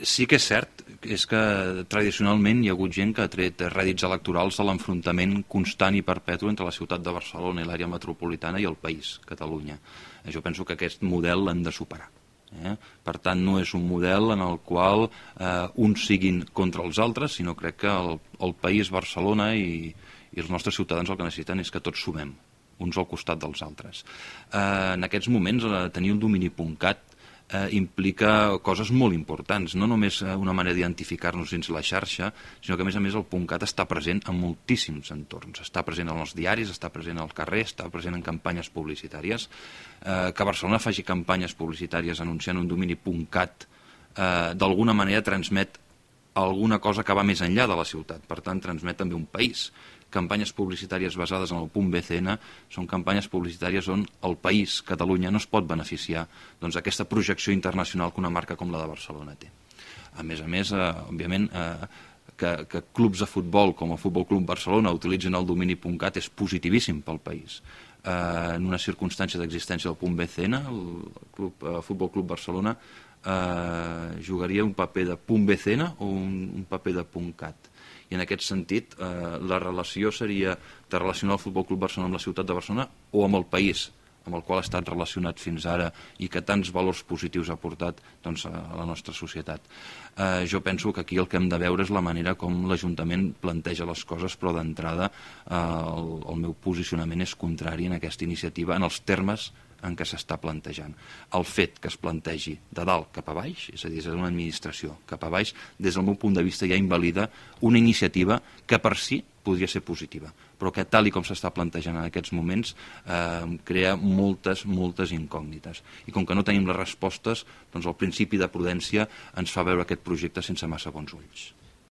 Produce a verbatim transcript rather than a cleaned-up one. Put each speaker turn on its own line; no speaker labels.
Sí que és cert, és que tradicionalment hi ha hagut gent que ha tret rèdits electorals de l'enfrontament constant i perpètu entre la ciutat de Barcelona i l'àrea metropolitana i el país, Catalunya. Jo penso que aquest model l'hem de superar. Eh? Per tant, no és un model en el qual eh, uns siguin contra els altres, sinó crec que el, el país, Barcelona i, i els nostres ciutadans el que necessiten és que tots sumem, uns al costat dels altres. Eh, en aquests moments, eh, tenir un domini punt cat Eh, implica coses molt importants, no només una manera d'identificar-nos dins la xarxa, sinó que a més a més el .cat està present en moltíssims entorns, està present en els diaris, està present al carrer, està present en campanyes publicitàries. Eh, que Barcelona faci campanyes publicitàries anunciant un domini .cat eh, d'alguna manera transmet alguna cosa que va més enllà de la ciutat, per tant transmet també un país. Campanyes publicitàries basades en el .bcn són campanyes publicitàries on el país, Catalunya, no es pot beneficiar doncs, d'aquesta projecció internacional que una marca com la de Barcelona té. A més a més, eh, òbviament, eh, que, que clubs de futbol com el Futbol Club Barcelona utilitzin el domini .cat és positivíssim pel país. Eh, en una circumstància d'existència del .bcn, el club, eh, Futbol Club Barcelona eh, jugaria un paper de .bcn o un, un paper de .cat. I en aquest sentit eh, la relació seria de relacionar el Futbol Club Barcelona amb la ciutat de Barcelona o amb el país amb el qual ha estat relacionat fins ara i que tants valors positius ha portat doncs, a la nostra societat. Eh, jo penso que aquí el que hem de veure és la manera com l'Ajuntament planteja les coses, però d'entrada eh, el, el meu posicionament és contrari en aquesta iniciativa, en els termes en què s'està plantejant. El fet que es plantegi de dalt cap a baix, és a dir, és una administració cap a baix, des del meu punt de vista ja invalida una iniciativa que per si podria ser positiva, però que tal i com s'està plantejant en aquests moments eh, crea moltes, moltes incògnites. I com que no tenim les respostes, doncs el principi de prudència ens fa veure aquest projecte sense massa bons ulls.